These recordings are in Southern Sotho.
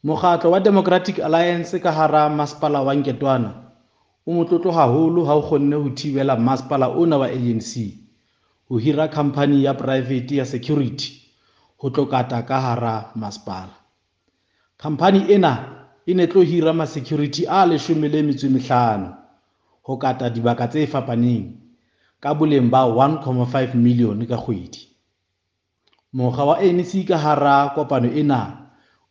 Mokgatlo wa Democratic Alliance ka hara masepala wa Nketoana o motlotlo haholo ha o kgonne ho thibela masepala ona wa ANC ho hira khamphani ya poraefete ya security ho tlo kata ka hara masepala. Khamphani ena e ne tlo hira ma-security a 15 ho kata dibaka tse fapaneng ka boleng ba 1.5 million ka kgwedi. Mokga wa ANC ka hara kopano ena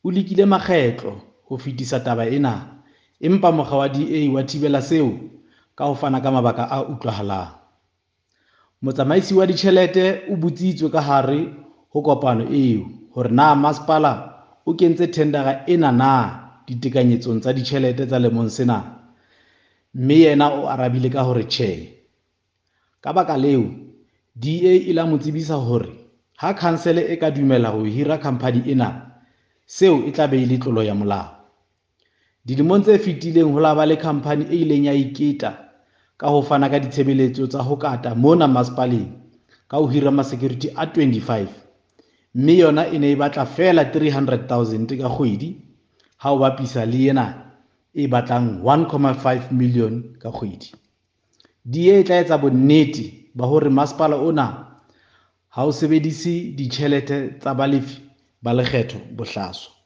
o lekile makgetlo ho fetisa taba ena, empa mokga wa DA wa thibela seo ka ho fana ka mabaka a utlwahalang. Motsamaisi wa ditjhelete o botsitswe ka hare ho kopano eo hore na masepala o kentse thendara ena na ditekanyetsong tsa ditjhelete tsa lemong sena, mme yena o arabile ka hore tjhe. Ka baka leo, DA e la mo tsebisa hore ha khansele e ka dumela ho hira khamphani ena, seo e tla be e le tlolo ya molao. Dilemong tse fetileng ho la ba le khamphani e ileng ya iketa ka ho fana ka ditshebeletso tsa ho kata mona masepaleng ka ho hira ma-security a 25, mme yona e ne e batla feela 300,000 ka kgwedi ha o bapisa le ena e batlang 1.5 million ka kgwedi. DA e tla etsa bonnete ba hore masepala ona ha o sebedise ditjhelete tsa balefi ba lekgetho bohlaswa.